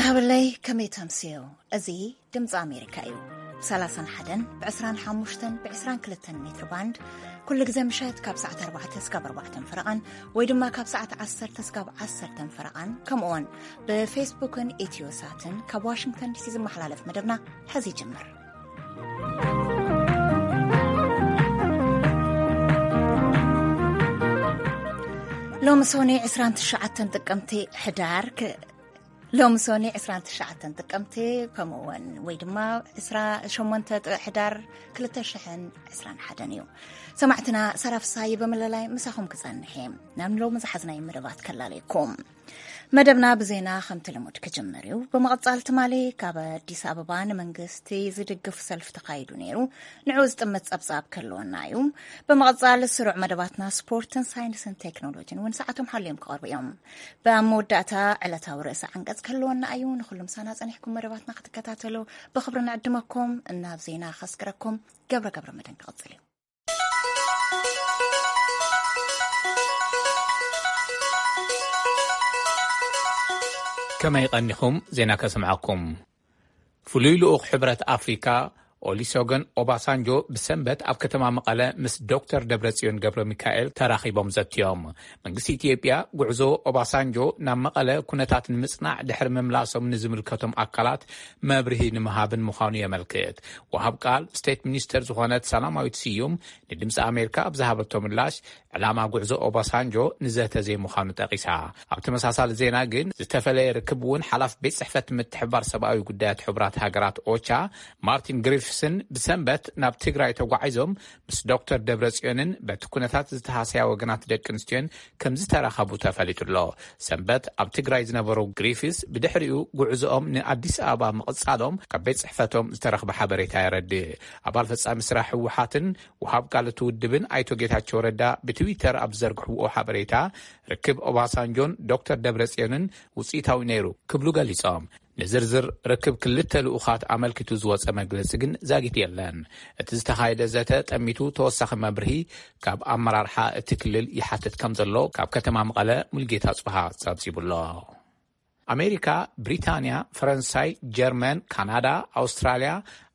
ሃብለይ ከመይ ተምስዮ? እዚ ድምፂ ኣሜሪካ እዩ። ብ31 ብ25 ብ22 ሜትር ባንድ ኩሉ ግዜ ምሸት ካብ ሰዓት ኣርባዕተ እስካብ ኣርባዕተ ፈረቓን ወይ ድማ ካብ ሰዓት ዓሰርተ እስካብ ዓሰርተ ፈረቓን ከምኡውን ብፌስቡክን ኢትዮ ሳትን ካብ ዋሽንግተን ዲሲ ዝመሓላለፍ መደብና ሕዚ ይጅምር። ሎሚ ሶኒ ዕስራን ትሽዓተን ጥቅምቲ ሕዳር ክ- ሎሚ ሶኒ ዕስራን ትሽዓተን ጥቅምቲ ከምኡውን ወይ ድማ ዕስራ ሸሞንተ ጥ- ሕዳር ክልተ ሽሕን ዕስራን ሓደን እዩ። ሰማዕትና ሰራፍሳይ ብምልላይ ምሳኹም ክጸንሕ እየ። ናብ ሎሚ ዝሓዝናይ መደባት ከላለየኩም። መደብና ብዜና ከምቲ ልሙድ ክጅምር እዩ። ብምቕጻል ትማሊ ካብ ኣዲስ ኣበባ ንመንግስቲ ዝድግፍ ሰልፊ ተኻይዱ ነይሩ። ንዑ ዝጥምት ጸብጻብ ክህልወና እዩ። ብምቕጻል ስሩዕ መደባትና ስፖርትን ሳይንስን ቴክኖሎጂን እውን ሰዓቶም ሓልዮም ክቐርቡ እዮም። ብኣብ መወዳእታ ዕለታዊ ርእሰ ዓንቀጽ ክህልወና እዩ። ንኹሉ ምሳና ጸኒሕኩም መደባትና ክትከታተሉ ብኽብሪ ንዕድመኩም። እናብ ዜና ከስክረኩም ገብረ ገብረ መድህን ክቕጽል እዩ። ከመይ ቀኒኹም? ዜና ከስምዓኩም። ፍሉይ ልኡኽ ሕብረት ኣፍሪካ ኦሊሶገን ኦባሳንጆ ብሰንበት ኣብ ከተማ መቐለ ምስ ዶክተር ደብረጽዮን ገብረ ሚካኤል ተራኺቦም ዘትዮም። መንግስቲ ኢትዮጵያ ጉዕዞ ኦባሳንጆ ናብ መቐለ ኩነታት ንምጽናዕ ድሕሪ ምምላሶም ንዝምልከቶም ኣካላት መብርሂ ንምሃብን ምዃኑ የመልክት። ወሃብ ቃል ስቴት ሚኒስተር ዝኾነት ሰላማዊት ስዩም ንድምፂ ኣሜሪካ ኣብ ዝሃበቶ ምላሽ ዕላማ ጉዕዞ ኦባሳንጆ ንዘተ ዘይምዃኑ ጠቒሳ። ኣብ ተመሳሳሊ ዜና ግን ዝተፈለየ ርክብ እውን ሓላፍ ቤት ጽሕፈት ምትሕባር ሰብኣዊ ጉዳያት ሕቡራት ሃገራት ኦቻ ማርቲን ግሪፍስን ብሰንበት ናብ ትግራይ ተጓዒዞም ምስ ዶክተር ደብረጽዮንን በቲ ኩነታት ዝተሃሰያ ወገናት ደቂ ኣንስትዮን ከም ዝተራኸቡ ተፈሊጡ ኣሎ። ሰንበት ኣብ ትግራይ ዝነበሩ ግሪፍስ ብድሕሪኡ ጉዕዞኦም ንኣዲስ ኣበባ ምቕጻሎም ካብ ቤት ጽሕፈቶም ዝተረኽበ ሓበሬታ የረድእ። ኣባል ፈጻሚ ስራሕ ህወሓትን ወሃብ ቃል እቲ ውድብን ኣይቶ ጌታቸው ረዳ ብትዊተር ኣብ ዝዘርግሕዎ ሓበሬታ ርክብ ኦባሳንጆን ዶክተር ደብረጽዮንን ውጽኢታዊ ነይሩ ክብሉ ገሊጾም። ንዝርዝር ርክብ ክልተ ልኡኻት ኣመልኪቱ ዝወጸ መግለጺ ግን ዛጊት የለን። እቲ ዝተኻየደ ዘተ ጠሚቱ ተወሳኺ መብርሂ ካብ ኣመራርሓ እቲ ክልል ይሓትት ከም ዘሎ ካብ ከተማ መቐለ ሙልጌታ ጽብሃ ጸብጺቡ ኣሎ። ኣሜሪካ፣ ብሪታንያ፣ ፈረንሳይ፣ ጀርመን፣ ካናዳ፣ ኣውስትራልያ፣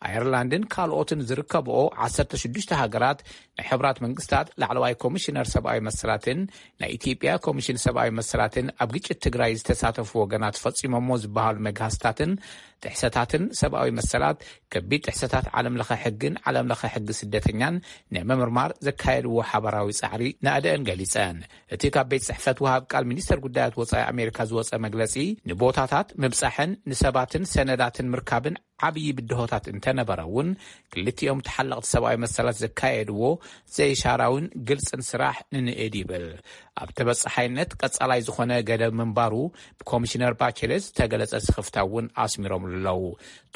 ኣየርላንድን ካልኦትን ዝርከብኦ ዓሰርተ ሽዱሽተ ሃገራት ናይ ሕቡራት መንግስታት ላዕለዋይ ኮሚሽነር ሰብኣዊ መሰላትን ናይ ኢትዮጵያ ኮሚሽን ሰብኣዊ መሰላትን ኣብ ግጭት ትግራይ ዝተሳተፉ ወገናት ፈጺሞሞ ዝበሃሉ መግሃስታትን ጥሕሰታትን ሰብኣዊ መሰላት፣ ከቢድ ጥሕሰታት ዓለም ለኸ ሕግን ዓለም ለኸ ሕጊ ስደተኛን ንምምርማር ዘካየድዎ ሓባራዊ ጻዕሪ ናእደአን ገሊጸን። እቲ ካብ ቤት ጽሕፈት ወሃብ ቃል ሚኒስተር ጉዳያት ወጻኢ ኣሜሪካ ዝወጸ መግለጺ፣ ንቦታታት ምብጻሕን ንሰባትን ሰነዳትን ምርካብን ዓብዪ ብድሆታት እንተነበረ እውን፣ ክልቲኦም ተሓለቕቲ ሰብኣዊ መሰላት ዘካየድዎ ዘይሻራውን ግልጽን ስራሕ ንንእድ ይብል። ኣብ ተበጻሓይነት ቀጻላይ ዝኾነ ገደብ ምንባሩ ብኮሚሽነር ባቸሌት ዝተገለጸ ስኽፍታ እውን ኣስሚሮምሉ ኣለዉ።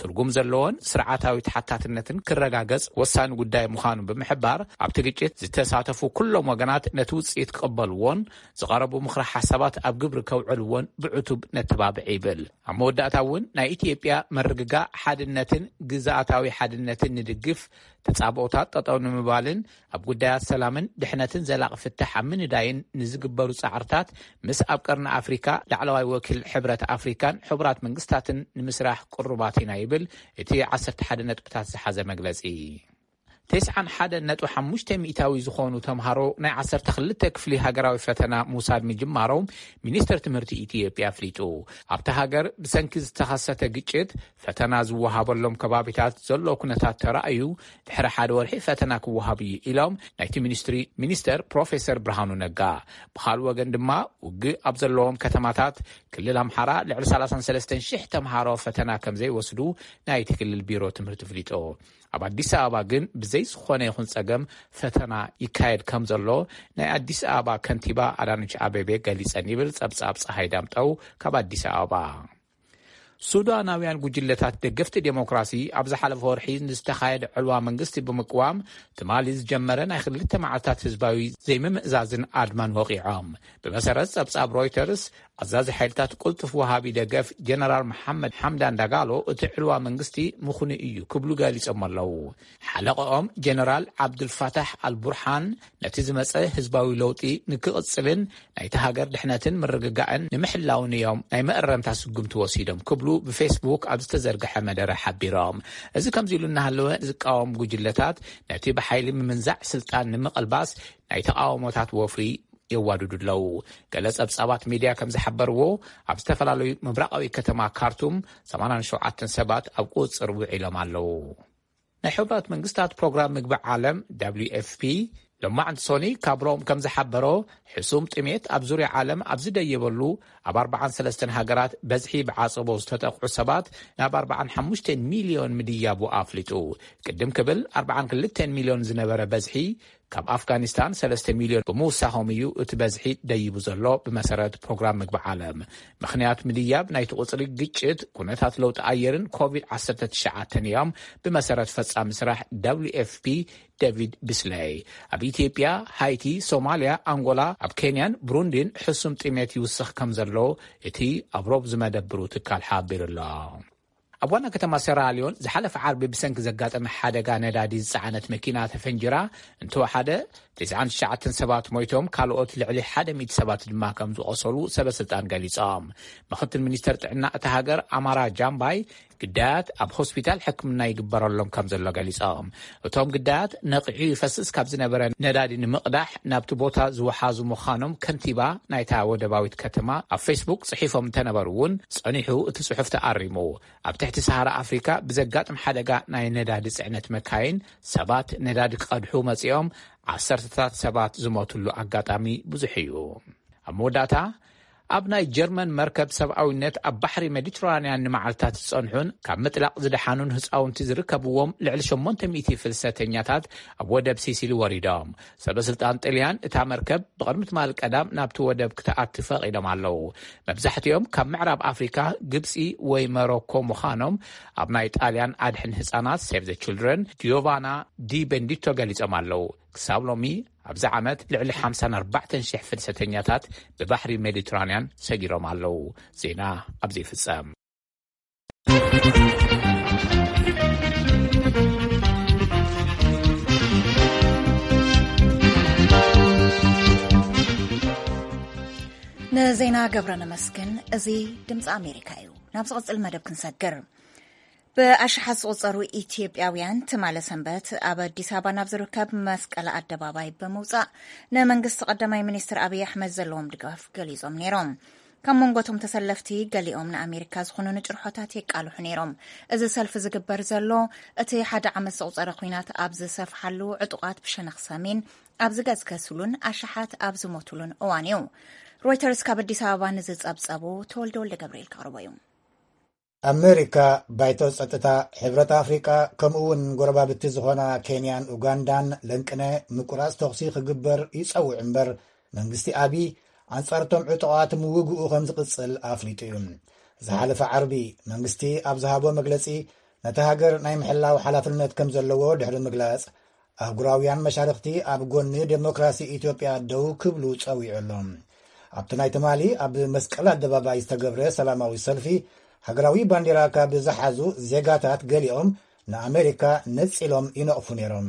ትርጉም ዘለዎን ስርዓታዊ ተሓታትነትን ክረጋገጽ ወሳኒ ጉዳይ ምዃኑ ብምሕባር፣ ኣብቲ ግጭት ዝተሳተፉ ኩሎም ወገናት ነቲ ውጽኢት ክቕበልዎን ዝቐረቡ ምኽሪ ሓሳባት ኣብ ግብሪ ከውዕልዎን ብዕቱብ ነተባብዕ ይብል። ኣብ መወዳእታ እውን ናይ ኢትዮጵያ ምርግጋእ ሓድነትን ግዝኣታዊ ሓድነትን ንድግፍ፣ ተጻብኦታት ጠጠው ንምባልን ኣብ ጉዳያት ሰላምን ድሕነትን ዘላቒ ፍታሕ ኣብ ምንዳይን ንዝግበሩ ጻዕርታት ምስ ኣብ ቀርኒ ኣፍሪካ ላዕለዋይ ወኪል ሕብረት ኣፍሪካን ሕቡራት መንግስታትን ንምስራሕ ቅሩባት ኢና ይብል እቲ ዓሰርተ ሓደ ነጥብታት ዝሓዘ መግለጺ። ተስዓን ሓደን ነጥቢ ሓሙሽተ ሚእታዊ ዝኾኑ ተምሃሮ ናይ ዓሰርተ ክልተ ክፍሊ ሃገራዊ ፈተና ምውሳድ ምጅማሮም ሚኒስተር ትምህርቲ ኢትዮጵያ ኣፍሊጡ። ኣብታ ሃገር ብሰንኪ ዝተኸሰተ ግጭት ፈተና ዝወሃበሎም ከባቢታት ዘሎ ኩነታት ተራእዩ ድሕሪ ሓደ ወርሒ ፈተና ክወሃብ እዩ ኢሎም ናይቲ ሚኒስትሪ ሚኒስተር ፕሮፌሰር ብርሃኑ ነጋ። ብኻልእ ወገን ድማ ውግእ ኣብ ዘለዎም ከተማታት ክልል ኣምሓራ ልዕሊ ሰላሳን ሰለስተን ሽሕ ተምሃሮ ፈተና ከም ዘይወስዱ ናይቲ ክልል ቢሮ ትምህርቲ ኣፍሊጡ። ኣብ ኣዲስ ኣበባ ግን ብዘይ ዝኾነ ይኹን ጸገም ፈተና ይካየድ ከም ዘሎ ናይ ኣዲስ ኣበባ ከንቲባ ኣዳነች ኣቤቤ ገሊጸን ይብል ጸብጻብ ጸሃይ ዳምጠው ካብ ኣዲስ ኣበባ። ሱዳናውያን ጉጅለታት ደገፍቲ ዴሞክራሲ ኣብ ዝሓለፈ ወርሒ ንዝተኻየደ ዕልዋ መንግስቲ ብምቅዋም ትማሊ ዝጀመረ ናይ ክልተ መዓልታት ህዝባዊ ዘይምምእዛዝን ኣድማን ወቒዖም። ብመሰረት ጸብጻብ ሮይተርስ፣ ኣዛዚ ሓይልታት ቅልጡፍ ወሃቢ ደገፍ ጀነራል መሓመድ ሓምዳን ዳጋሎ እቲ ዕልዋ መንግስቲ ምኹኑ እዩ ክብሉ ገሊጾም ኣለዉ። ሓለቐኦም ጀነራል ዓብዱልፋታሕ ኣልቡርሓን ነቲ ዝመጸ ህዝባዊ ለውጢ ንክቕጽልን ናይቲ ሃገር ድሕነትን ምርግጋእን ንምሕላውን እዮም ናይ መእረምታ ስጉምቲ ወሲዶም ክብሉ ብፌስቡክ ኣብ ዝተዘርግሐ መደረ ሓቢሮም። እዚ ከምዚ ኢሉ እናሃለወ ዝቃወም ጉጅለታት ነቲ ብሓይሊ ምምንዛዕ ስልጣን ንምቕልባስ ናይ ተቃውሞታት ወፍሪ የዋድዱ ኣለዉ። ገለ ጸብጻባት ሚድያ ከም ዝሓበርዎ ኣብ ዝተፈላለዩ ምብራቓዊ ከተማ ካርቱም ሰማንያን ሸውዓተን ሰባት ኣብ ቁጽጽር ውዒሎም ኣለዉ። ናይ ሕቡራት መንግስታት ፕሮግራም ምግቢ ዓለም ደብሊዩ ኤፍ ፒ ሎማዕንቲ ሶኒ ካብ ሮም ከም ዝሓበሮ ሕሱም ጥሜት ኣብ ዙርያ ዓለም ኣብ ዝደየበሉ ኣብ ኣርባዓን ሰለስተን ሃገራት በዝሒ ብዓጸቦ ዝተጠቕዑ ሰባት ናብ ኣርባዓን ሓሙሽተን ሚልዮን ምድያቡ ኣፍሊጡ። ቅድም ክብል ኣርባዓን ክልተን ሚልዮን ዝነበረ በዝሒ ካብ ኣፍጋኒስታን ሰለስተ ሚልዮን ብምውሳኾም እዩ እቲ በዝሒ ደይቡ ዘሎ። ብመሰረት ፕሮግራም ምግቢ ዓለም፣ ምኽንያት ምድያብ ናይቲ ቁጽሪ ግጭት፣ ኩነታት ለውጢ ኣየርን ኮቪድ ዓሰርተ ትሽዓተን እዮም። ብመሰረት ፈጻሚ ስራሕ ደብሊዩ ኤፍ ፒ ዴቪድ ቢስለይ፣ ኣብ ኢትዮጵያ፣ ሃይቲ፣ ሶማልያ፣ ኣንጎላ፣ ኣብ ኬንያን ብሩንዲን ሕሱም ጥሜት ይውስኽ ከም ዘሎ እቲ ኣብ ሮብ ዝመደብሩ ትካል ሓቢሩ ኣሎ። ኣብ ዋና ከተማ ሴራልዮን ዝሓለፈ ዓርቢ ብሰንኪ ዘጋጠመ ሓደጋ ነዳዲ ዝጸዓነት መኪና ተፈንጅራ እንተወሓደ፣ ተስዓን ትሽዓተን ሰባት ሞይቶም፣ ካልኦት ልዕሊ ሓደ ሚእቲ ሰባት ድማ ከም ዝቖሰሉ ሰበስልጣን ገሊጾም። ምኽትል ሚኒስተር ጥዕና እታ ሃገር ኣማራ ጃምባይ፣ ግዳያት ኣብ ሆስፒታል ሕክምና ይግበረሎም ከም ዘሎ ገሊጾም። እቶም ግዳያት ነቒዑ ይፈስስ ካብ ዝነበረ ነዳዲ ንምቕዳሕ ናብቲ ቦታ ዝወሓዙ ምዃኖም ከንቲባ ናይታ ወደባዊት ከተማ ኣብ ፌስቡክ ጽሒፎም እንተነበሩ እውን፣ ጸኒሑ እቲ ጽሑፍ ተኣሪሙ። ኣብ ትሕቲ ሰሃራ ኣፍሪካ ብዘጋጥም ሓደጋ ናይ ነዳዲ ጽዕነት መካይን ሰባት ነዳዲ ክቐድሑ መጺኦም ዓሰርተታት ሰባት ዝሞትሉ ኣጋጣሚ ብዙሕ እዩ። ኣብ መወዳእታ፣ ኣብ ናይ ጀርመን መርከብ ሰብኣዊነት ኣብ ባሕሪ ሜዲትራንያን ንመዓልታት ዝጸንሑን ካብ ምጥላቕ ዝደሓኑን ህጻውንቲ ዝርከብዎም ልዕሊ ሸሞንተ ሚእቲ ፍልሰተኛታት ኣብ ወደብ ሲሲሊ ወሪዶም። ሰበስልጣን ጥልያን እታ መርከብ ብቕድሚ ትማሊ ቀዳም ናብቲ ወደብ ክትኣቲ ፈቒዶም ኣለዉ። መብዛሕትኦም ካብ ምዕራብ ኣፍሪካ፣ ግብጺ ወይ መሮኮ ምዃኖም ኣብ ናይ ጣልያን ኣድሕን ህጻናት ሴቭ ዘ ችልድረን ጂዮቫና ዲ ቤንዲቶ ገሊጾም ኣለዉ። ክሳብ ሎሚ ኣብዚ ዓመት ልዕሊ ሓምሳን ኣርባዕተን ሽሕ ፍልሰተኛታት ብባሕሪ ሜዲትራንያን ሰጊሮም ኣለዉ። ዜና ኣብዚ ይፍጸም። ንዜና ገብረ ነመስግን። እዚ ድምፂ ኣሜሪካ እዩ። ናብ ዝቕፅል መደብ ክንሰግር። ብኣሽሓት ዝቑጸሩ ኢትዮጵያውያን ትማሊ ሰንበት ኣብ ኣዲስ ኣበባ ናብ ዝርከብ መስቀል ኣደባባይ ብምውጻእ ንመንግስቲ ቀዳማይ ሚኒስትር ኣብይ ኣሕመድ ዘለዎም ድጋፍ ገሊጾም ነይሮም። ካብ መንጎ እቶም ተሰለፍቲ ገሊኦም ንኣሜሪካ ዝኾኑ ንጭርሖታት የቃልሑ ነይሮም። እዚ ሰልፊ ዝግበር ዘሎ እቲ ሓደ ዓመት ዘቑጸረ ኲናት ኣብ ዝሰፍሓሉ ዕጡቓት ብሸነኽ ሰሜን ኣብ ዝገስገስሉን ኣሽሓት ኣብ ዝሞትሉን እዋን እዩ። ሮይተርስ ካብ ኣዲስ ኣበባ ንዝጸብጸቡ ተወልደ ወልደ ገብርኤል ከቕርቦ እዩ። ኣመሪካ፣ ባይቶ ጸጥታ፣ ሕብረት ኣፍሪቃ፣ ከምኡ እውን ጎረባብቲ ዝኾና ኬንያን ኡጋንዳን ለንቅነ ምቁራጽ ተኹሲ ክግበር ይጸውዕ እምበር፣ መንግስቲ ኣቢ ኣንጻርቶም ዕጡቓት ምውግኡ ከም ዝቕጽል ኣፍሊጡ እዩ። ዝሓለፈ ዓርቢ መንግስቲ ኣብ ዝሃቦ መግለጺ፣ ነቲ ሃገር ናይ ምሕላው ሓላፍነት ከም ዘለዎ ድሕሪ ምግላጽ፣ ኣህጉራውያን መሻርኽቲ ኣብ ጎኒ ዴሞክራሲ ኢትዮጵያ ደው ክብሉ ጸዊዑ ኣሎ። ኣብቲ ናይ ትማሊ ኣብ መስቀል ኣደባባይ ዝተገብረ ሰላማዊ ሰልፊ፣ ሃገራዊ ባንዲራ ካብ ዝሓዙ ዜጋታት ገሊኦም ንኣመሪካ ነጺሎም ይነቕፉ ነይሮም።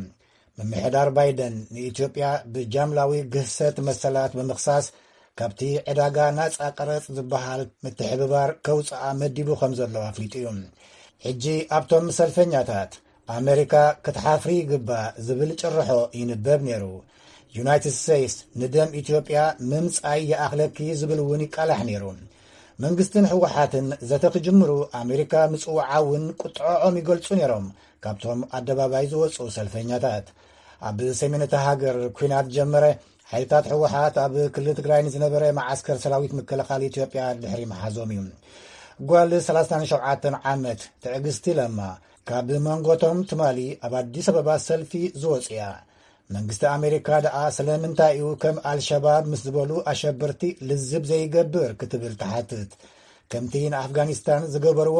ምምሕዳር ባይደን ንኢትዮጵያ ብጃምላዊ ግህሰት መሰላት ብምኽሳስ፣ ካብቲ ዕዳጋ ናጻ ቀረጽ ዝበሃል ምትሕብባር ከውጽኣ መዲቡ ከም ዘሎ ኣፍሊጡ እዩ። ሕጂ ኣብቶም ሰልፈኛታት፣ ኣመሪካ ክትሓፍሪ ይግባእ ዝብል ጭርሖ ይንበብ ነይሩ። ዩናይትድ ስቴትስ ንደም ኢትዮጵያ ምምጻይ ይኣኽለኪ ዝብል እውን ይቃላሕ ነይሩ። መንግስትን ህወሓትን ዘተ ክጅምሩ ኣመሪካ ምጽውዓ እውን ቁጥዐኦም ይገልጹ ነይሮም። ካብቶም ኣደባባይ ዝወጹ ሰልፈኛታት፣ ኣብ ሰሜን እታ ሃገር ኲናት ጀመረ። ሓይልታት ህወሓት ኣብ ክልል ትግራይ ንዝነበረ መዓስከር ሰራዊት ምክልኻል ኢትዮጵያ ድሕሪ ምሓዞም እዩ። ጓል ሰላሳን ሸውዓተን ዓመት ትዕግስቲ ለማ ካብ መንጎቶም ትማሊ ኣብ ኣዲስ ኣበባ ሰልፊ ዝወጹ እያ። መንግስቲ ኣሜሪካ ደኣ ስለምንታይ እዩ ከም ኣልሸባብ ምስ ዝበሉ ኣሸበርቲ ልዝብ ዘይገብር ክትብል ትሓትት። ከምቲ ንኣፍጋኒስታን ዝገበርዎ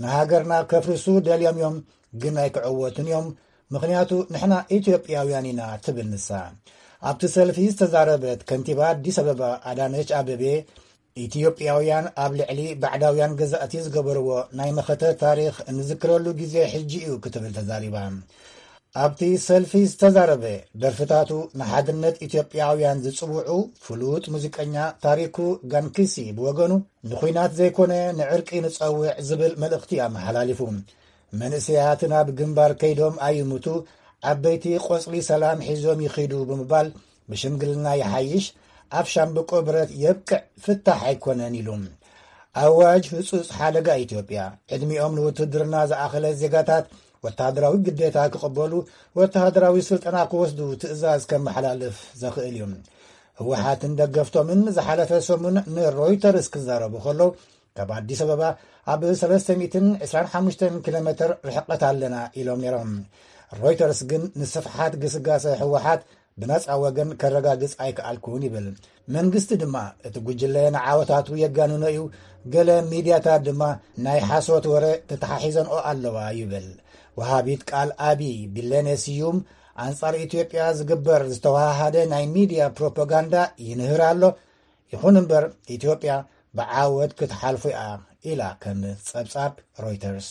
ንሃገርና ከፍርሱ ደልዮም እዮም፣ ግን ኣይክዕወቱን እዮም፣ ምኽንያቱ ንሕና ኢትዮጵያውያን ኢና ትብል ንሳ። ኣብቲ ሰልፊ ዝተዛረበት ከንቲባ ኣዲስ ኣበባ ኣዳነች ኣበቤ፣ ኢትዮጵያውያን ኣብ ልዕሊ ባዕዳውያን ገዛእቲ ዝገበርዎ ናይ መኸተ ታሪኽ እንዝክረሉ ግዜ ሕጂ እዩ ክትብል ተዛሪባ። ኣብቲ ሰልፊ ዝተዛረበ፣ ደርፍታቱ ንሓድነት ኢትዮጵያውያን ዝጽውዑ ፍሉጥ ሙዚቀኛ ታሪኩ ጋንኪሲ ብወገኑ፣ ንኹናት ዘይኮነ ንዕርቂ ንጸውዕ ዝብል መልእኽቲ ኣመሓላሊፉ። መንእሰያት ናብ ግንባር ከይዶም ኣይሙቱ፣ ዓበይቲ ቆጽሊ ሰላም ሒዞም ይኺዱ ብምባል፣ ብሽምግልና ይሓይሽ፣ ኣብ ሻምብቆ ብረት የብቅዕ፣ ፍታሕ ኣይኮነን ኢሉ። ኣዋጅ ህጹጽ ሓደጋ ኢትዮጵያ፣ ዕድሚኦም ንውትድርና ዝኣኸለ ዜጋታት ወተሃደራዊ ግዴታ ክቕበሉ፣ ወተሃደራዊ ስልጠና ክወስዱ ትእዛዝ ከመሓላልፍ ዘኽእል እዩ። ህወሓትን ደገፍቶምን ዝሓለፈ ሰሙን ንሮይተርስ ክዛረቡ ከለዉ፣ ካብ ኣዲስ ኣበባ ኣብ ሰለስተ ሚእትን ዕስራን ሓሙሽተን ኪሎ ሜትር ርሕቀት ኣለና ኢሎም ነይሮም። ሮይተርስ ግን ንስፍሓት ግስጋሰ ህወሓት ብነጻ ወገን ከረጋግጽ ኣይከኣልኩን ይብል። መንግስቲ ድማ እቲ ጉጅለ ንዓወታቱ የጋንኖ እዩ፣ ገለ ሚድያታት ድማ ናይ ሓሶት ወረ ተተሓሒዘንኦ ኣለዋ ይብል። ወሃቢት ቃል ኣቢ ቢለኔ ስዩም፣ ኣንጻር ኢትዮጵያ ዝግበር ዝተወሃሃደ ናይ ሚድያ ፕሮፓጋንዳ ይንህር ኣሎ። ይኹን እምበር፣ ኢትዮጵያ ብዓወት ክትሓልፎ እያ ኢላ፣ ከም ጸብጻብ ሮይተርስ።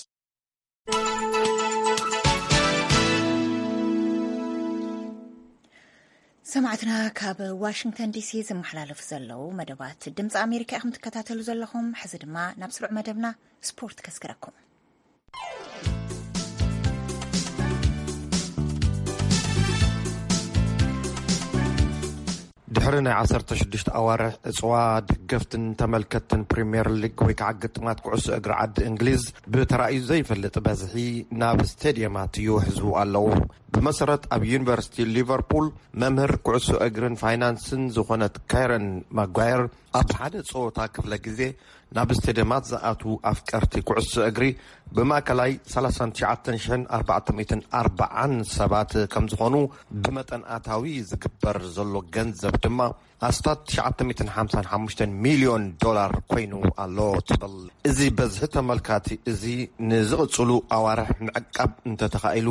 ሰማዕትና፣ ካብ ዋሽንግተን ዲሲ ዝመሓላለፉ ዘለዉ መደባት ድምፂ ኣሜሪካ ኢኹም ትከታተሉ ዘለኹም። ሕዚ ድማ ናብ ስሩዕ መደብና ስፖርት ከስግረኩም። ድሕሪ ናይ ዓሰርተ ሽዱሽተ ኣዋርሕ ዕፅዋ፣ ደገፍትን ተመልከትትን ፕሪምየር ሊግ ወይ ከዓ ግጥማት ኩዕሶ እግሪ ዓዲ እንግሊዝ ብተራእዩ ዘይፈልጥ በዝሒ ናብ ስቴድየማት ይውሕዙ ኣለዉ። ብመሰረት ኣብ ዩኒቨርሲቲ ሊቨርፑል መምህር ኩዕሶ እግርን ፋይናንስን ዝኾነት ካይረን ማጓየር፣ ኣብ ሓደ ፀወታ ክፍለ ግዜ ናብ ስቴድየማት ዝኣትዉ ኣፍቀርቲ ኩዕሶ እግሪ ብማእከላይ ሰላሳን ትሽዓተን ሽሕን ኣርባዕተ ሚእትን ኣርባዓን ሰባት ከም ዝኾኑ፣ ብመጠን ኣታዊ ዝግበር ዘሎ ገንዘብ ድማ ኣስታት ትሽዓተ ሚእትን ሓምሳን ሓሙሽተን ሚልዮን ዶላር ኮይኑ ኣሎ ትብል። እዚ በዝሒ ተመልካቲ እዚ ንዝቕጽሉ ኣዋርሕ ምዕቃብ እንተተኻኢሉ፣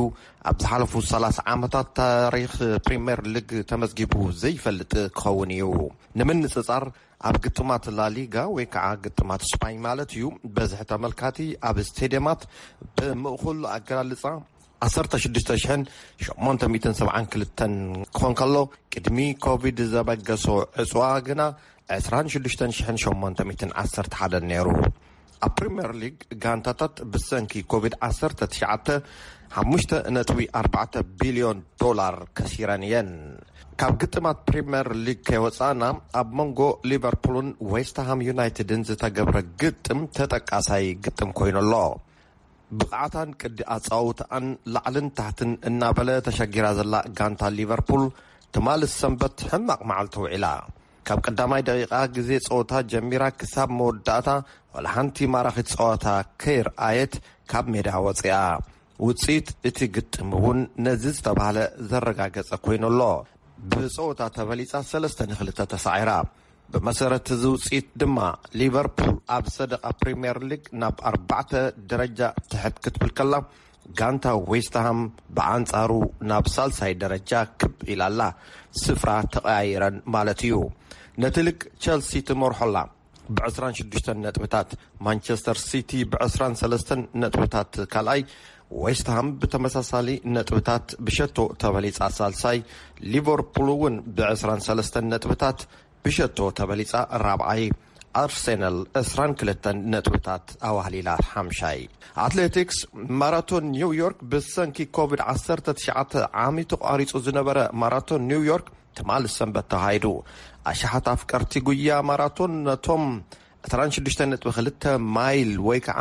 ኣብ ዝሓለፉ ሰላሳ ዓመታት ታሪኽ ፕሪምየር ሊግ ተመዝጊቡ ዘይፈልጥ ክኸውን እዩ። ንምንጽጻር፣ ኣብ ግጥማት ላሊጋ ወይ ከዓ ግጥማት ስፓኝ ማለት እዩ፣ በዝሒ ተመልካቲ ኣብ ስቴድየማት ብምእኹል ኣገላልጻ ዓሰርተ ሽዱሽተ ሽሕን ሸሞንተ ሚእትን ሰብዓን ክልተን ክኾን ከሎ፣ ቅድሚ ኮቪድ ዘበገሶ ዕጽዋ ግና ዕስራን ሽዱሽተን ሽሕን ሸሞንተ ሚእትን ዓሰርተ ሓደን ነይሩ። ኣብ ፕሪምየር ሊግ፣ ጋንታታት ብሰንኪ ኮቪድ ዓሰርተ ትሽዓተ ሓሙሽተ ነጥቢ ኣርባዕተ ቢልዮን ዶላር ከሲረን እየን። ካብ ግጥማት ፕሪምየር ሊግ ከይወጻእና፣ ኣብ መንጎ ሊቨርፑልን ዌስትሃም ዩናይትድን ዝተገብረ ግጥም ተጠቃሳይ ግጥም ኮይኑ ኣሎ። ብቕዓታን ቅዲ ኣጻውትኣን ላዕልን ታሕትን እናበለ ተሸጊራ ዘላ ጋንታ ሊቨርፑል፣ ትማሊ ሰንበት ሕማቕ መዓልቲ ውዒላ። ካብ ቀዳማይ ደቂቓ ግዜ ጸወታ ጀሚራ ክሳብ መወዳእታ፣ ዋላ ሓንቲ ማራኺት ጸወታ ከይርኣየት ካብ ሜዳ ወጺኣ። ውጽኢት እቲ ግጥም እውን ነዚ ዝተባህለ ዘረጋገጸ ኮይኑ ኣሎ። ብጸወታ ተበሊጻ ሰለስተ ንኽልተ ተሳዒራ። ብመሰረት እዚ ውጽኢት ድማ፣ ሊቨርፑል ኣብ ሰደቓ ፕሪምየር ሊግ ናብ ኣርባዕተ ደረጃ ትሕት ክትብል ከላ፣ ጋንታ ዌስትሃም ብኣንጻሩ ናብ ሳልሳይ ደረጃ ክብ ኢላ ኣላ። ስፍራ ተቐያይረን ማለት እዩ። ነቲ ሊግ ቸልሲ ትመርሖ ኣላ ብዕስራን ሽዱሽተን ነጥብታት፣ ማንቸስተር ሲቲ ብዕስራን ሰለስተን ነጥብታት ካልኣይ፣ ዌስትሃም ብተመሳሳሊ ነጥብታት ብሸቶ ተበሊጻ ሳልሳይ፣ ሊቨርፑል እውን ብዕስራን ሰለስተን ነጥብታት ብሸቶ ተበሊጻ ራብዓይ፣ ኣርሴናል ዕስራን ክልተን ነጥብታት ኣዋህሊላ ሓምሻይ። ኣትሌቲክስ፣ ማራቶን ኒውዮርክ ብሰንኪ ኮቪድ ዓሰርተ ትሽዓተ ዓሚ ተቋሪጹ ዝነበረ ማራቶን ኒውዮርክ ትማሊ ሰንበት ተኻይዱ። ኣሽሓት ኣፍቀርቲ ጉያ ማራቶን ነቶም ዕስራን ሽዱሽተ ነጥቢ ክልተ ማይል ወይ ከዓ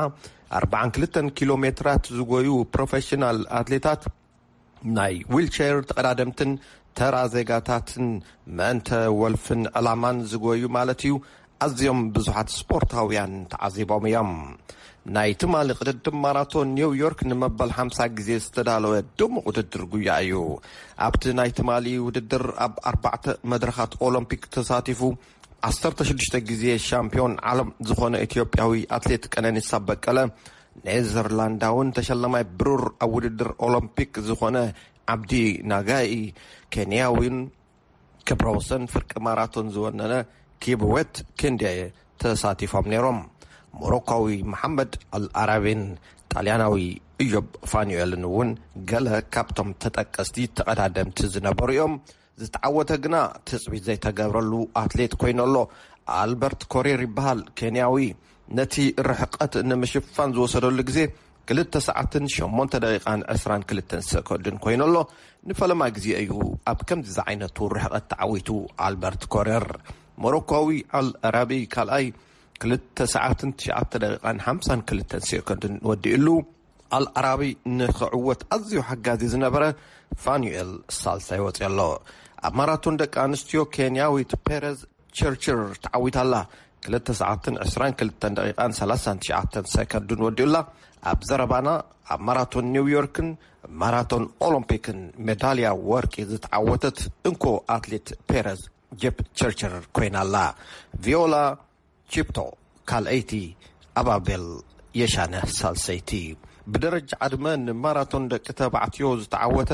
ኣርባዓን ክልተን ኪሎ ሜትራት ዝጎዩ ፕሮፌሽናል ኣትሌታት፣ ናይ ዊልቸር ተቐዳደምትን ተራ ዜጋታትን፣ ምእንተ ወልፍን ዕላማን ዝጎዩ ማለት እዩ፣ ኣዝዮም ብዙሓት ስፖርታውያን ተዓዚቦም እዮም። ናይ ትማሊ ቅድድም ማራቶን ኒውዮርክ ንመበል ሓምሳ ግዜ ዝተዳለወ ድሙቕ ውድድር ጉያ እዩ። ኣብቲ ናይ ትማሊ ውድድር ኣብ ኣርባዕተ መድረኻት ኦሎምፒክ ተሳቲፉ ዓሰርተ ሽዱሽተ ግዜ ሻምፒዮን ዓለም ዝኾነ ኢትዮጵያዊ ኣትሌት ቀነኒሳ በቀለ፣ ኔዘርላንዳውን ተሸላማይ ብሩር ኣብ ውድድር ኦሎምፒክ ዝኾነ ዓብዲ ናጋኢ፣ ኬንያዊን ክብረ ወሰን ፍርቂ ማራቶን ዝወነነ ኪብዌት ክንዴ ተሳቲፎም ነይሮም። ሞሮኳዊ መሓመድ ኣልኣራቢን ጣልያናዊ እዮብ ፋኑኤልን እውን ገለ ካብቶም ተጠቀስቲ ተቐዳደምቲ ዝነበሩ እዮም። ዝተዓወተ ግና ትጽቢት ዘይተገብረሉ ኣትሌት ኮይኑ ኣሎ። ኣልበርት ኮሬር ይበሃል፣ ኬንያዊ። ነቲ ርሕቀት ንምሽፋን ዝወሰደሉ ግዜ ክልተ ሰዓትን ሸሞንተ ደቂቓን ዕስራን ክልተን ሰኮንድን ኮይኑ ኣሎ። ንፈለማ ግዜ እዩ ኣብ ከምዚ ዝዓይነቱ ርሕቀት ተዓዊቱ ኣልበርት ኮሬር። ሞሮኳዊ ኣል ራቢ ካልኣይ ክልተ ሰዓትን ትሽዓተ ደቂቓን ሓምሳን ክልተን ሴኮንድን ወዲኡሉ። ኣል ኣራቢ ንኽዕወት ኣዝዩ ሓጋዚ ዝነበረ ፋኑኤል ሳልሳይ ወፂኡ ኣሎ። ኣብ ማራቶን ደቂ ኣንስትዮ ኬንያዊት ፔረዝ ቸርችር ተዓዊታ ኣላ። ክልተ ሰዓትን ዕስራን ክልተን ደቂቓን ሰላሳን ትሽዓተን ሰከንድን ወዲኡላ። ኣብ ዘረባና ኣብ ማራቶን ኒውዮርክን ማራቶን ኦሎምፒክን ሜዳልያ ወርቂ ዝተዓወተት እንኮ ኣትሌት ፔረዝ ጀፕ ቸርችር ኮይና ኣላ። ቪዮላ ቺፕቶ ካልኣይቲ፣ ኣባቤል የሻነ ሳልሰይቲ። ብደረጃ ዕድመ ንማራቶን ደቂ ተባዕትዮ ዝተዓወተ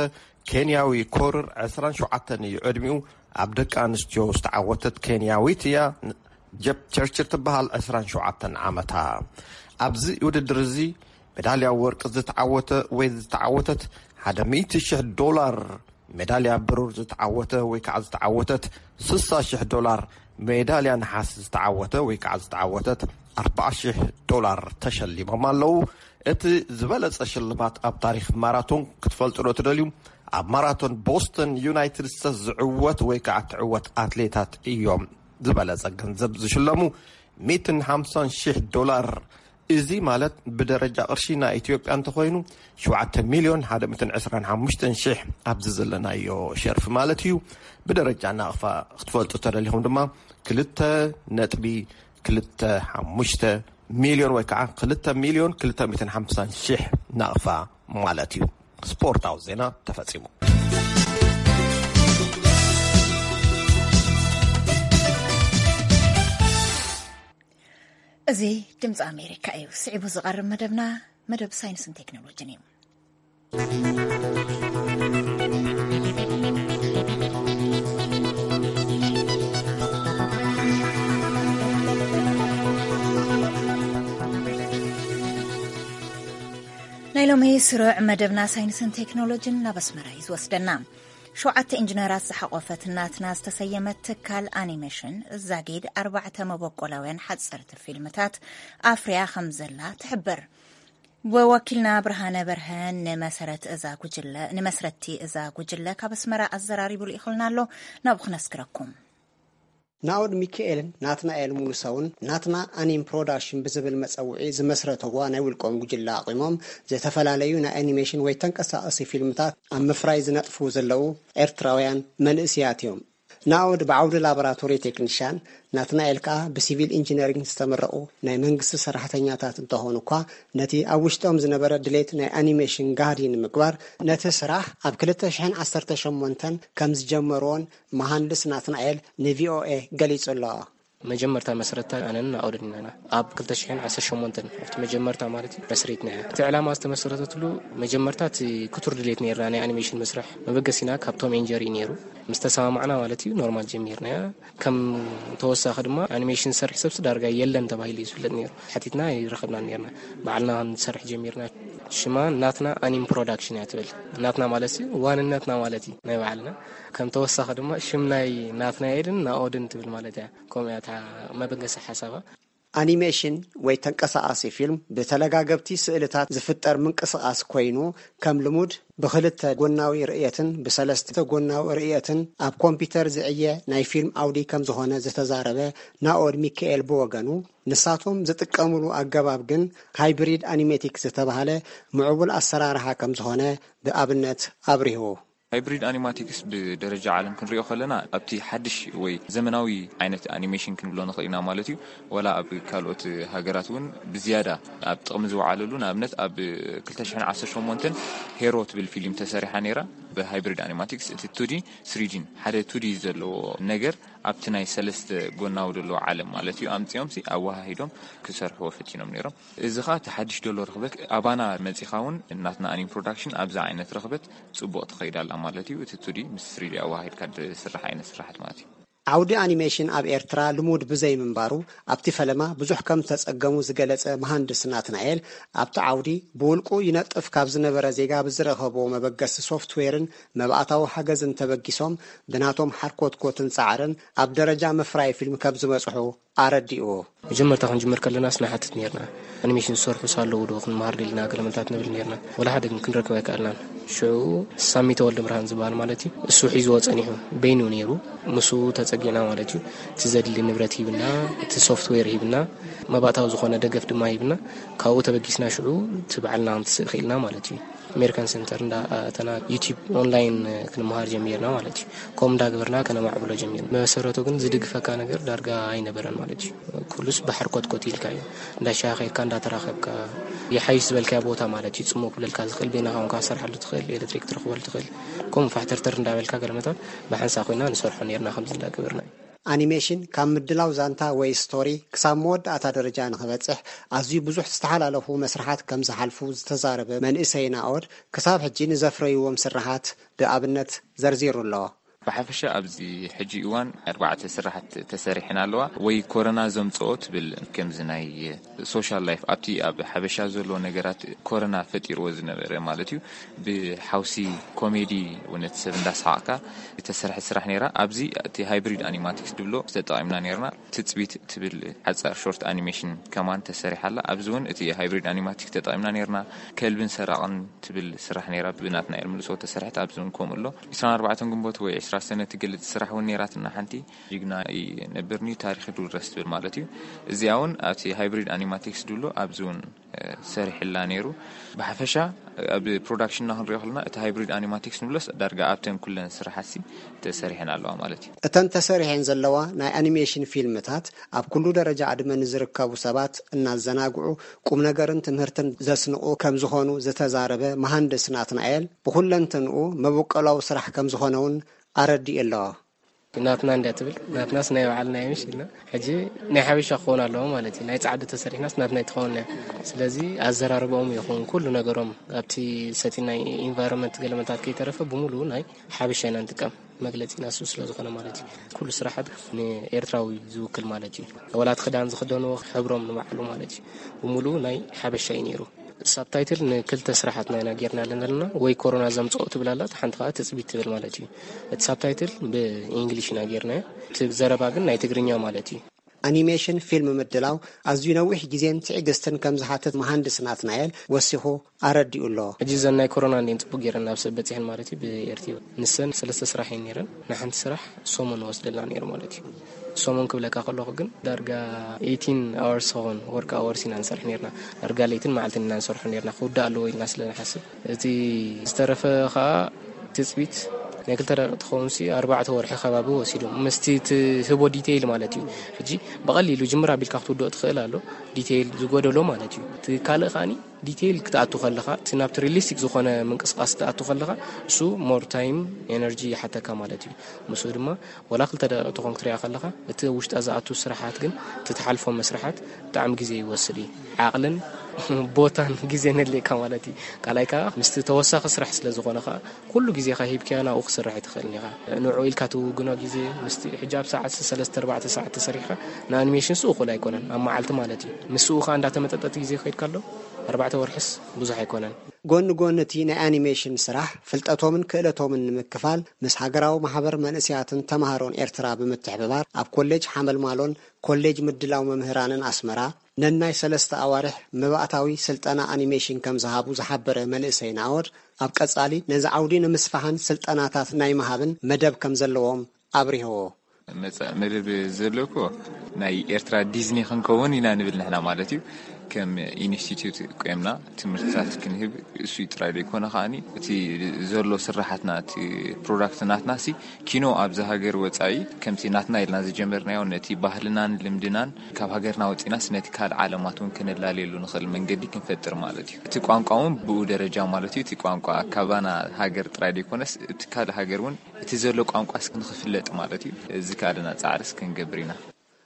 ኬንያዊ ኮርር ዕስራን ሸውዓተን እዩ ዕድሚኡ። ኣብ ደቂ ኣንስትዮ ዝተዓወተት ኬንያዊት እያ። ጀፕ ቸርችር ትበሃል፣ ዕስራን ሸውዓተን ዓመታ። ኣብዚ ውድድር እዚ ሜዳልያ ወርቂ ዝተዓወተ ወይ ዝተዓወተት ሓደ ሚእቲ ሽሕ ዶላር፣ ሜዳልያ ብሩር ዝተዓወተ ወይ ከዓ ዝተዓወተት ስሳ ሽሕ ዶላር፣ ሜዳልያ ነሓስ ዝተዓወተ ወይ ከዓ ዝተዓወተት ኣርባዓ ሽሕ ዶላር ተሸሊሞም ኣለዉ። እቲ ዝበለጸ ሽልማት ኣብ ታሪኽ ማራቶን ክትፈልጡ ዶ ትደልዩ? ኣብ ማራቶን ቦስተን ዩናይትድ ስቴትስ ዝዕወት ወይ ከዓ ትዕወት ኣትሌታት እዮም ዝበለጸ ገንዘብ ዝሽለሙ፣ ሚእትን ሓምሳን ሽሕ ዶላር። እዚ ማለት ብደረጃ ቅርሺ ናይ ኢትዮጵያ እንተኾይኑ ሸውዓተ ሚልዮን ሓደ ሚእትን ዕስራን ሓሙሽተን ሽሕ ኣብዚ ዘለናዮ ሸርፊ ማለት እዩ። ብደረጃ ናቕፋ ክትፈልጡ ተደሊኹም ድማ ክልተ ነጥቢ ክልተ ሓሙሽተ ሚልዮን ወይ ከዓ ክልተ ሚልዮን ክልተ ሚእትን ሓምሳን ሽሕ ናቕፋ ማለት እዩ። ስፖርታዊ ዜና ተፈጺሙ። እዚ ድምፂ ኣሜሪካ እዩ። ስዒቡ ዝቐርብ መደብና መደብ ሳይንስን ቴክኖሎጂን እዩ። ናይ ሎሚ ስሩዕ መደብና ሳይንስን ቴክኖሎጂን ናብ ኣስመራ እዩ ዝወስደና። ሸውዓተ ኢንጂነራት ዝሓቖፈት ናትና ዝተሰየመት ትካል ኣኒሜሽን ዛጊድ ኣርባዕተ መበቆላውያን ሓፀርቲ ፊልምታት ኣፍርያ ከም ዘላ ትሕብር። ወኪልና ብርሃነ በርሀ ንመሰረት እዛ ጉጅለ፣ ንመስረቲ እዛ ጉጅለ ካብ ኣስመራ ኣዘራሪቡ ልኢኹልና ኣሎ። ናብኡ ክነስክረኩም። ናኦድ ሚካኤልን ናትናኤል ሙሉሰውን ናትና ኣኒም ፕሮዳክሽን ብዝብል መጸውዒ ዝመስረተዋ ናይ ውልቆም ጉጅለ ኣቑሞም፣ ዝተፈላለዩ ናይ ኣኒሜሽን ወይ ተንቀሳቐሲ ፊልምታት ኣብ ምፍራይ ዝነጥፉ ዘለዉ ኤርትራውያን መንእስያት እዮም። ናኦድ ብዓውዲ ላቦራቶሪ ቴክኒሻን፣ ናትናኤል ከኣ ብሲቪል ኢንጂነሪንግ ዝተመረቑ ናይ መንግስቲ ሰራሕተኛታት እንተኾኑ እኳ፣ ነቲ ኣብ ውሽጦም ዝነበረ ድሌት ናይ ኣኒሜሽን ጋህዲ ንምግባር፣ ነቲ ስራሕ ኣብ ክልተ ሽሕን ዓሰርተ ሸሞንተን ከም ዝጀመርዎን መሃንድስ ናትናኤል ንቪኦኤ ገሊጹ ኣሎ። መጀመርታ መስረታ ኣነን ኣውደድናና ኣብ ክልተ ሽሕን ዓሰርተ ሸሞንተን ኣብቲ መጀመርታ ማለት እዩ መስሪትና። እቲ ዕላማ ዝተመሰረተትሉ መጀመርታ እቲ ክቱር ድሌት ነይርና ናይ ኣኒሜሽን መስርሕ መበገሲና ካብ ቶም ኤንድ ጀሪ ነይሩ። ምስ ተሰማማዕና ማለት እዩ ኖርማል ጀሚርናያ። ከም ተወሳኺ ድማ ኣኒሜሽን ዝሰርሕ ሰብሲ ዳርጋ የለን ተባሂሉ እዩ ዝፍለጥ ነይሩ። ሓቲትና ይረኸብና ነይርና። ባዕልና ክንሰርሕ ጀሚርና። ሽማ ናትና ኣኒም ፕሮዳክሽን እያ ትብል። ናትና ማለት እዩ ዋንነትና ማለት እዩ ናይ ባዕልና። ከም ተወሳኺ ድማ ሽም ናይ ናትናኤልን ናኦድን ትብል ማለት እያ። ከምኡ እያ እታ መበገሲ ሓሳባ። ኣኒሜሽን ወይ ተንቀሳቓሲ ፊልም ብተለጋገብቲ ስእልታት ዝፍጠር ምንቅስቓስ ኮይኑ፣ ከም ልሙድ ብኽልተ ጎናዊ ርእየትን ብሰለስተ ጎናዊ ርእየትን ኣብ ኮምፒውተር ዝዕየ ናይ ፊልም ኣውዲ ከም ዝኾነ ዝተዛረበ ናኦድ ሚካኤል ብወገኑ፣ ንሳቶም ዝጥቀምሉ ኣገባብ ግን ሃይብሪድ ኣኒሜቲክ ዝተባህለ ምዕቡል ኣሰራርሓ ከም ዝኾነ ብኣብነት ኣብሪሁ። ሃይብሪድ ኣኒማቲክስ ብደረጃ ዓለም ክንሪኦ ከለና፣ ኣብቲ ሓድሽ ወይ ዘመናዊ ዓይነት ኣኒሜሽን ክንብሎ ንኽእል ኢና ማለት እዩ። ዋላ ኣብ ካልኦት ሃገራት እውን ብዝያዳ ኣብ ጥቕሚ ዝወዓለሉ፣ ንኣብነት ኣብ ክልተ ሽሕን ዓሰርተ ሸሞንተን ሄሮ ትብል ፊልም ተሰሪሓ ነይራ ብሃይብሪድ ኣኒማቲክስ። እቲ ቱዲ ስሪዲን ሓደ ቱዲ ዘለዎ ነገር ኣብቲ ናይ ሰለስተ ጎናዊ ዘለዎ ዓለም ማለት እዩ ኣምጺኦምሲ ኣወሃሂዶም ክሰርሕዎ ፈቲኖም ነይሮም። እዚ ኸኣ እቲ ሓድሽ ደሎ ርኽበት ኣባና መጺኻ እውን እናትና ኣኒም ፕሮዳክሽን ኣብዛ ዓይነት ርኽበት ጽቡቕ ትኸይድ ኣላ ማለት እዩ። እቲ ቱዲ ምስ ስሪዲ ኣወሃሂድካ ዝስራሕ ዓይነት ስራሓት ማለት እዩ። ዓውዲ ኣኒሜሽን ኣብ ኤርትራ ልሙድ ብዘይምንባሩ ኣብቲ ፈለማ ብዙሕ ከም ዝተጸገሙ ዝገለጸ መሃንድስ ናትናኤል፣ ኣብቲ ዓውዲ ብውልቁ ይነጥፍ ካብ ዝነበረ ዜጋ ብዝረኸቦ መበገሲ ሶፍትዌርን መባእታዊ ሓገዝን ተበጊሶም ብናቶም ሓርኮትኮትን ጻዕርን ኣብ ደረጃ ምፍራይ ፊልም ከም ዝበጽሑ ኣረዲኡ። መጀመርታ ክንጅምር ከለናስ ንሓትት ነርና፣ ኣኒሜሽን ዝሰርሑ ስ ኣለዉ ዶ ክንመሃር ደሊና ገለመንታት ንብል ነርና። ወላ ሓደ ግን ክንረክብ ኣይከኣልናን። ሽዑ ሳሚ ተወልደ ብርሃን ዝበሃል ማለት እዩ፣ እሱ ሒዝዎ ጸኒሑ፣ በይኑ ነይሩ። ምስኡ ተጸጊዕና ማለት እዩ። እቲ ዘድሊ ንብረት ሂብና፣ እቲ ሶፍትዌር ሂብና፣ መባእታዊ ዝኾነ ደገፍ ድማ ሂብና። ካብኡ ተበጊስና ሽዑ እቲ ባዕልና ክንትስእ ክኢልና ማለት እዩ። ኣሜሪካን ሴንተር እንዳኣተና ዩቲብ ኦንላይን ክንመሃር ጀሚርና ማለት እዩ። ከምኡ እንዳገበርና ከነማዕብሎ ጀሚርና። መሰረቱ ግን ዝድግፈካ ነገር ዳርጋ ኣይነበረን ማለት እዩ። ኩሉስ ባሕር ኮትኮት ኢልካ እዩ። እንዳሻኸካ እንዳተራኸብካ፣ ይሓይሽ ዝበልካዮ ቦታ ማለት እዩ፣ ጽሙው ክብለልካ ዝኽእል፣ በይንኻ ኮንካ ክትሰርሓሉ ትኽእል፣ ኤሌክትሪክ ትረኽበሉ ትኽእል። ከምኡ ፋሕተርተር እንዳበልካ ገለመታት ብሓንሳ ኮይና ንሰርሖ ነርና፣ ከምዚ እንዳገበርና እዩ። ኣኒሜሽን ካብ ምድላው ዛንታ ወይ ስቶሪ ክሳብ መወዳእታ ደረጃ ንኽበጽሕ ኣዝዩ ብዙሕ ዝተሓላለፉ መስርሓት ከም ዝሓልፉ ዝተዛረበ መንእሰይ ናኦድ፣ ክሳብ ሕጂ ንዘፍረይዎም ስርሓት ብኣብነት ዘርዚሩ ኣሎ። ብሓፈሻ ኣብዚ ሕጂ እዋን ኣርባዕተ ስራሕት ተሰሪሐን ኣለዋ። ወይ ኮረና ዘምጽኦ ትብል፣ ከምዚ ናይ ሶሻል ላይፍ፣ ኣብቲ ኣብ ሓበሻ ዘሎ ነገራት ኮረና ፈጢርዎ ዝነበረ ማለት እዩ። ብሓውሲ ኮሜዲ፣ እውነት ሰብ እንዳሰሓቕካ ዝተሰርሐ ስራሕ ነይራ። ኣብዚ እቲ ሃይብሪድ ኣኒማቲክስ ድብሎ ተጠቒምና ነይርና። ትጽቢት ትብል ሓጻር ሾርት ኣኒሜሽን ከማን ተሰሪሓ ኣላ። ኣብዚ እውን እቲ ሃይብሪድ ኣኒማቲክስ ተጠቒምና ነይርና። ከልብን ሰራቕን ትብል ስራሕ ነይራ፣ ብናትናኤል ምልሶ ተሰርሐት። ኣብዚ እውን ከምኡ ኣሎ። ዕስራን ኣርባዕተን ግንቦት ወይ ዕስራ ሰነ ትገልጽ ስራሕ እውን ነይራትና ሓንቲ። ጅግና ይነብርኒ ታሪኽ ድውረስ ትብል ማለት እዩ። እዚኣ እውን ኣብቲ ሃይብሪድ ኣኒማቲክስ ድብሎ ኣብዚ እውን፣ እ፣ ሰሪሕላ ነይሩ። ብሓፈሻ ኣብ ፕሮዳክሽንና ክንሪኦ ከለና እቲ ሃይብሪድ ኣኒማቲክስ ንብሎስ ዳርጋ ኣብተን ኩለን ስራሓትሲ ተሰሪሐን ኣለዋ ማለት እዩ። እተን ተሰሪሐን ዘለዋ ናይ ኣኒሜሽን ፊልምታት ኣብ ኩሉ ደረጃ ዕድመ ንዝርከቡ ሰባት እናዘናግዑ ቁም ነገርን ትምህርትን ዘስንቑ ከም ዝኾኑ ዝተዛረበ መሃንድስ ናትናኤል፣ ብኹለንትንኡ መበቆላዊ ስራሕ ከም ዝኾነ እውን ኣረዲኡ ኣሎ። ናትና እንድያ ትብል፣ ናትናስ ናይ ባዕልና እዩ፣ ምሽ ኢልና። ሕጂ ናይ ሓበሻ ክኸውን ኣለዎ ማለት እዩ። ናይ ጻዕዲ ተሰሪሕናስ ናትና ኣይትኸውን እያ። ስለዚ ኣዘራርባኦም ይኹን ኩሉ ነገሮም ኣብቲ ሰቲ ናይ ኢንቫይሮንመንት ገለመታት ከይተረፈ ብምሉኡ ናይ ሓበሻ ኢና ንጥቀም። መግለጺና እሱ ስለ ዝኾነ ማለት እዩ። ኩሉ ስራሓት ንኤርትራዊ ዝውክል ማለት እዩ። ወላ እቲ ክዳን ዝኽደንዎ ሕብሮም ንባዕሉ ማለት እዩ። ብምሉኡ ናይ ሓበሻ እዩ ነይሩ። ሳብታይትል ንክልተ ስራሓትና ኢና ጌርና ዘለና። ወይ ኮሮና ዘምጽኦ ትብል ኣላ፣ እታ ሓንቲ ከኣ ትጽቢት ትብል ማለት እዩ። እቲ ሳብታይትል ብኢንግሊሽ ኢና ጌርናዮ። እቲ ዘረባ ግን ናይ ትግርኛ ማለት እዩ። ኣኒሜሽን ፊልም ምድላው ኣዝዩ ነዊሕ ግዜን ትዕግስትን ከም ዝሓትት መሃንድስ ናትናኤል ወሲኹ ኣረዲኡ ኣሎ። ሕጂ እዘን ናይ ኮሮና እንዲን ጽቡቅ ጌረን ናብ ሰብ በጺሐን ማለት እዩ፣ ብኤርትዮ። ንሰን ሰለስተ ስራሕ እየን ኔረን። ንሓንቲ ስራሕ ሰሙን ወስደልና ነይሩ ማለት እዩ። ሰሙን ክብለካ ከለኹ ግን ዳርጋ ኤይቲን ኣወርስ ኾን፣ ወርክ ኣወርስ ኢና ንሰርሕ ነርና። ዳርጋ ለይትን መዓልትን ኢና ንሰርሖ ነርና፣ ክውዳእ ኣለዎ ኢልና ስለ ንሓስብ። እቲ ዝተረፈ ኸኣ ትጽቢት ናይ ክልተ ደቂቕ ትኸውን ሲ፣ ኣርባዕተ ወርሒ ከባቢ ወሲዶም። ምስቲ ትህቦ ዲቴይል ማለት እዩ። ሕጂ ብቐሊሉ ጅምር ኣቢልካ ክትውድኦ ትኽእል ኣሎ፣ ዲቴይል ዝጎደሎ ማለት እዩ። እቲ ካልእ ከኣኒ ዲቴይል ክትኣቱ ከለኻ፣ እቲ ናብቲ ሪሊስቲክ ዝኾነ ምንቅስቓስ ክትኣቱ ከለኻ፣ እሱ ሞር ታይም፣ ኤነርጂ ይሓተካ ማለት እዩ። ምስኡ ድማ ወላ ክልተ ደቂቕ ትኾን ክትሪኣ ከለኻ፣ እቲ ውሽጣ ዝኣቱ ስራሓት ግን፣ እቲ ትሓልፎ መስርሓት ብጣዕሚ ግዜ ይወስድ እዩ። ዓቕልን ቦታን ግዜን የድልየካ ማለት እዩ። ካልኣይ ከኣ ምስቲ ተወሳኺ ስራሕ ስለ ዝኾነ ከኣ፣ ኩሉ ግዜኻ ሂብካዮ ናብኡ ክስራሕ ኣይትኽእልን ኢኻ። ንዕኡ ኢልካ ትውግኖ ግዜ ምስቲ ሕጂ ኣብ ሰዓት ሰለስተ ኣርባዕተ ሰዓት ተሰሪሕካ ንኣኒሜሽንስ እኹል ኣይኮነን፣ ኣብ መዓልቲ ማለት እዩ። ምስኡ ከኣ እንዳተመጠጠ እቲ ግዜ ክኸይድ ከሎ ኣርባዕተ ወርሕስ ብዙሕ ኣይኮነን። ጎኒ ጎኒ እቲ ናይ ኣኒሜሽን ስራሕ ፍልጠቶምን ክእለቶምን ንምክፋል ምስ ሃገራዊ ማሕበር መንእሰያትን ተማሃሮን ኤርትራ ብምትሕብባር ኣብ ኮሌጅ ሓመልማሎን ኮሌጅ ምድላው መምህራንን ኣስመራ ነናይ ሰለስተ ኣዋርሕ መባእታዊ ስልጠና ኣኒሜሽን ከም ዝሃቡ ዝሓበረ መንእሰይ ናኦድ፣ ኣብ ቀጻሊ ነዚ ዓውዲ ንምስፋሕን ስልጠናታት ናይ ምሃብን መደብ ከም ዘለዎም ኣብሪህዎ። መጻኢ መደብ ዘሎ እኮ ናይ ኤርትራ ዲዝኒ ክንከውን ኢና ንብል ንሕና ማለት እዩ። ከም ኢንስቲትዩት ቆምና ትምህርትታት ክንህብ እሱ ጥራይ ዘይኮነ ከኣኒ እቲ ዘሎ ስራሓትና፣ እቲ ፕሮዳክት ናትና ሲ ኪኖ ኣብዚ ሃገር ወጻኢ ከምቲ ናትና ኢልና ዝጀመርናዮ ነቲ ባህልናን ልምድናን ካብ ሃገርና ወጺናስ ነቲ ካልእ ዓለማት እውን ከነላልየሉ ንኽእል መንገዲ ክንፈጥር ማለት እዩ። እቲ ቋንቋ እውን ብኡ ደረጃ ማለት እዩ። እቲ ቋንቋ ካባና ሃገር ጥራይ ዘይኮነስ እቲ ካልእ ሃገር እውን እቲ ዘሎ ቋንቋስ ንኽፍለጥ ማለት እዩ። እዚ ካልእና ጻዕርስ ክንገብር ኢና።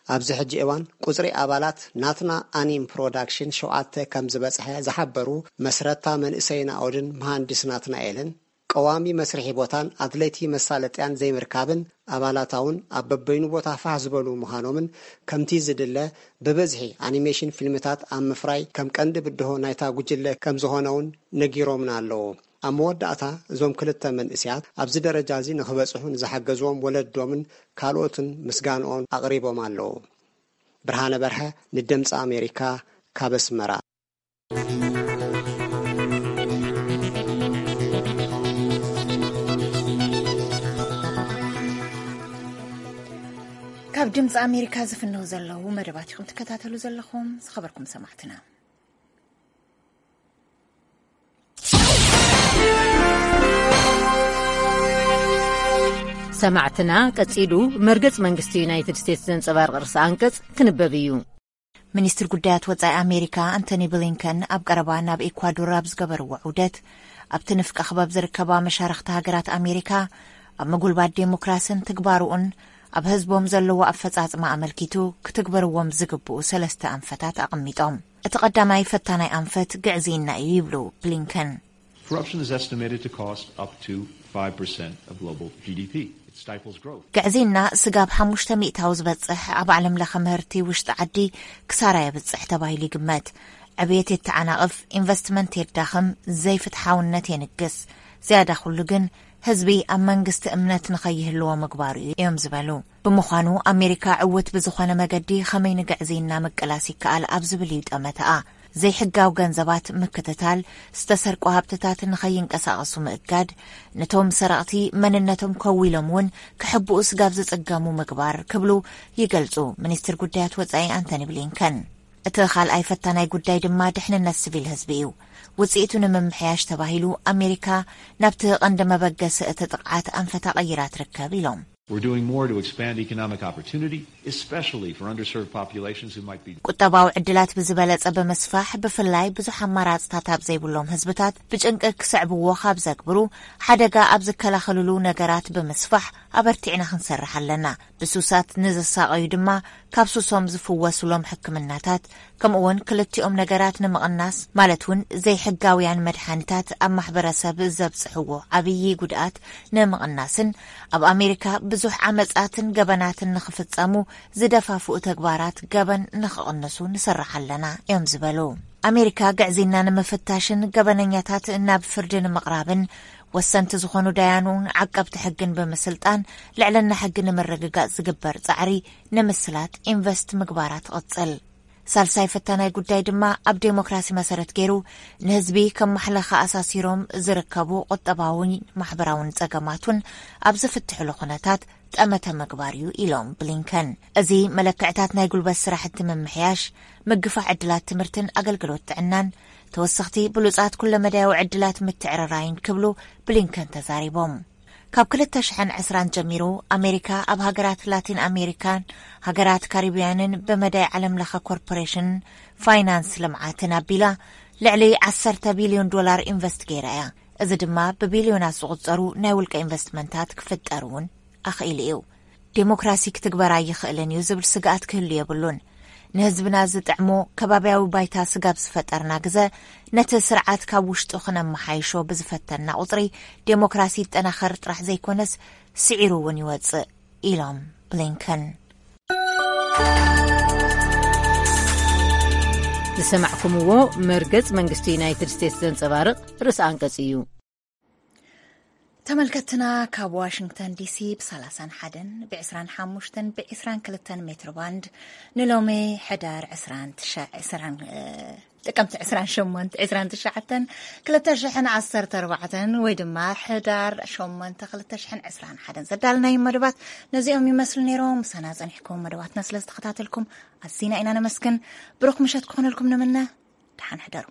ኣብዚ ሕጂ እዋን ቁጽሪ ኣባላት ናትና ኣኒም ፕሮዳክሽን ሸውዓተ ከም ዝበጽሐ ዝሓበሩ መስረታ መንእሰይ ናኦድን መሃንድስ ናትናኤልን፣ ቀዋሚ መስርሒ ቦታን ኣድለይቲ መሳለጥያን ዘይምርካብን፣ ኣባላታ እውን ኣብ በበይኑ ቦታ ፋሕ ዝበሉ ምዃኖምን፣ ከምቲ ዝድለ ብብዝሒ ኣኒሜሽን ፊልምታት ኣብ ምፍራይ ከም ቀንዲ ብድሆ ናይታ ጉጅለ ከም ዝኾነ እውን ነጊሮምና ኣለዉ። ኣብ መወዳእታ፣ እዞም ክልተ መንእስያት ኣብዚ ደረጃ እዚ ንኽበጽሑ ንዝሓገዝዎም ወለዶምን ካልኦትን ምስጋንኦም ኣቕሪቦም ኣለዉ። ብርሃነ በርሀ፣ ንድምፂ ኣሜሪካ፣ ካብ ኣስመራ። ካብ ድምፂ ኣሜሪካ ዝፍነው ዘለዉ መደባት ኢኹም ትከታተሉ ዘለኹም፣ ዝኸበርኩም ሰማዕትና። ሰማዕትና፣ ቀጺሉ መርገጽ መንግስቲ ዩናይትድ ስቴትስ ዘንጸባርቕ ርእሰ ኣንቀጽ ክንበብ እዩ። ሚኒስትር ጉዳያት ወጻኢ ኣሜሪካ ኣንቶኒ ብሊንከን ኣብ ቀረባ ናብ ኤኳዶር ኣብ ዝገበርዎ ዑደት፣ ኣብቲ ንፍቀ ክበብ ዝርከባ መሻርኽቲ ሃገራት ኣሜሪካ ኣብ ምጉልባት ዴሞክራስን ትግባርኡን ኣብ ህዝቦም ዘለዎ ኣፈጻጽማ ኣመልኪቱ ክትግበርዎም ዝግብኡ ሰለስተ ኣንፈታት ኣቐሚጦም። እቲ ቀዳማይ ፈታናይ ኣንፈት ግዕዝይና እዩ ይብሉ ብሊንከን። Corruption is estimated to cost up to five percent of global G D P. It stifles growth. ግዕዝይና ስጋብ ሓሙሽተ ሚእታዊ ዝበጽሕ ኣብ ዓለም ለኸ ምህርቲ ውሽጢ ዓዲ ክሳራ የብጽሕ ተባሂሉ ይግመት። ዕብየት የተዓናቕፍ፣ ኢንቨስትመንት የዳኽም፣ ዘይፍትሓውነት የንግስ። ዝያዳ ኩሉ ግን ህዝቢ ኣብ መንግስቲ እምነት ንኸይህልዎ ምግባሩ እዩ እዮም ዝበሉ። ብምዃኑ ኣሜሪካ ዕውት ብዝኾነ መገዲ ኸመይ ንግዕዝይና ምቅላስ ይከኣል ኣብ ዝብል እዩ ጠመተኣ። ዘይሕጋዊ ገንዘባት ምክትታል፣ ዝተሰርቁ ሃብትታት ንኸይንቀሳቐሱ ምእጋድ፣ ነቶም ሰረቕቲ መንነቶም ከዊሎም እውን ክሕብኡ ስጋብ ዝጽገሙ ምግባር ክብሉ ይገልጹ ሚኒስትር ጉዳያት ወጻኢ ኣንቶኒ ብሊንከን። እቲ ካልኣይ ፈታናይ ጉዳይ ድማ ድሕንነት ስቪል ህዝቢ እዩ። ውጽኢቱ ንምምሕያሽ ተባሂሉ ኣሜሪካ ናብቲ ቀንዲ መበገሲ እቲ ጥቕዓት ኣንፈታ ቀይራ ትርከብ ኢሎም። We're doing more to expand economic opportunity, especially for underserved populations who might be ቁጠባዊ ዕድላት ብዝበለጸ ብምስፋሕ፣ ብፍላይ ብዙሕ ኣማራጽታት ኣብ ዘይብሎም ህዝብታት ብጭንቂ ክስዕብዎ ካብ ዘግብሩ፣ ሓደጋ ኣብ ዝከላኸልሉ ነገራት ብምስፋሕ ኣበርቲዕና ክንሰርሕ ኣለና። ብሱሳት ንዝሳቐዩ ድማ ካብ ሱሶም ዝፍወሱሎም ሕክምናታት፣ ከምኡውን ክልቲኦም ነገራት ንምቕናስ፣ ማለት እውን ዘይሕጋውያን መድሓኒታት ኣብ ማሕበረሰብ ዘብጽሕዎ ዓብዪ ጉድኣት ንምቕናስን ኣብ ኣሜሪካ ብዙሕ ዓመጻትን ገበናትን ንኽፍጸሙ ዝደፋፍኡ ተግባራት ገበን ንኽቕንሱ ንሰርሕ ኣለና እዮም ዝበሉ። ኣሜሪካ ግዕዝይና ንምፍታሽን ገበነኛታት ናብ ፍርዲ ንምቕራብን ወሰንቲ ዝኾኑ ዳያኑን ዓቀብቲ ሕግን ብምስልጣን ልዕልና ሕጊ ንምርግጋጽ ዝግበር ጻዕሪ ንምስላጥ ኢንቨስት ምግባራ ትቕጽል። ሳልሳይ ፈታናይ ጉዳይ ድማ ኣብ ዴሞክራሲ መሰረት ገይሩ ንህዝቢ ከም ማሕለኻ ኣሳሲሮም ዝርከቡ ቁጠባውን ማሕበራውን ጸገማት እውን ኣብ ዝፍትሕሉ ኩነታት ጠመተ ምግባር እዩ ኢሎም ብሊንከን። እዚ መለክዕታት ናይ ጉልበት ስራሕቲ ምምሕያሽ፣ ምግፋሕ ዕድላት ትምህርትን ኣገልግሎት ጥዕናን፣ ተወሰኽቲ ብሉጻት ኩለመዳያዊ ዕድላት ምትዕርራይን ክብሉ ብሊንከን ተዛሪቦም። ካብ ክልተ ሽሕን ዕስራን ጀሚሩ ኣሜሪካ ኣብ ሃገራት ላቲን ኣሜሪካን ሃገራት ካሪብያንን ብመዳይ ዓለም ለኸ ኮርፖሬሽን ፋይናንስ ልምዓትን ኣቢላ ልዕሊ ዓሰርተ ቢልዮን ዶላር ኢንቨስት ገይራ እያ። እዚ ድማ ብቢልዮናት ዝቑጸሩ ናይ ውልቀ ኢንቨስትመንታት ክፍጠር እውን ኣኽኢሉ እዩ። ዴሞክራሲ ክትግበር ኣይኽእልን እዩ ዝብል ስግኣት ክህሉ የብሉን። ንህዝብና ዝጥዕሞ ከባብያዊ ባይታ ስጋብ ዝፈጠርና ግዘ፣ ነቲ ስርዓት ካብ ውሽጡ ክነመሓይሾ ብዝፈተና ቁፅሪ፣ ዴሞክራሲ ይጠናኸር ጥራሕ ዘይኮነስ፣ ስዒሩ እውን ይወፅእ ኢሎም ብሊንከን። ዝሰማዕኩምዎ መርገጽ መንግስቲ ዩናይትድ ስቴትስ ዘንጸባርቕ ርእሰ ኣንቀጽ እዩ። ተመልከትና ካብ ዋሽንግተን ዲሲ ብ ሰላሳን ሓደን ብ ዕስራን ሓሙሽተን ብ ዕስራን ክልተን ሜትሮ ባንድ ንሎሚ ሕዳር ዕስራን ትሽዓን፣ ዕስራን፣ እ፣ ጥቅምቲ ዕስራን ሸሞንተ፣ ዕስራን ትሽዓተን፣ ክልተ ሽሕን ዓሰርተ ኣርባዕተን ወይ ድማ ሕዳር ሸሞንተ፣ ክልተ ሽሕን ዕስራን ሓደን ዘዳልናዮም መደባት ነዚኦም ይመስሉ ነይሮም። ምሳና ጸኒሕኩም መደባትና ስለ ዝተኸታተልኩም ኣዚና ኢና ነመስግን። ብሩኽ ምሸት ክኾነልኩም ንምነ። ደሓን ሕደሩ።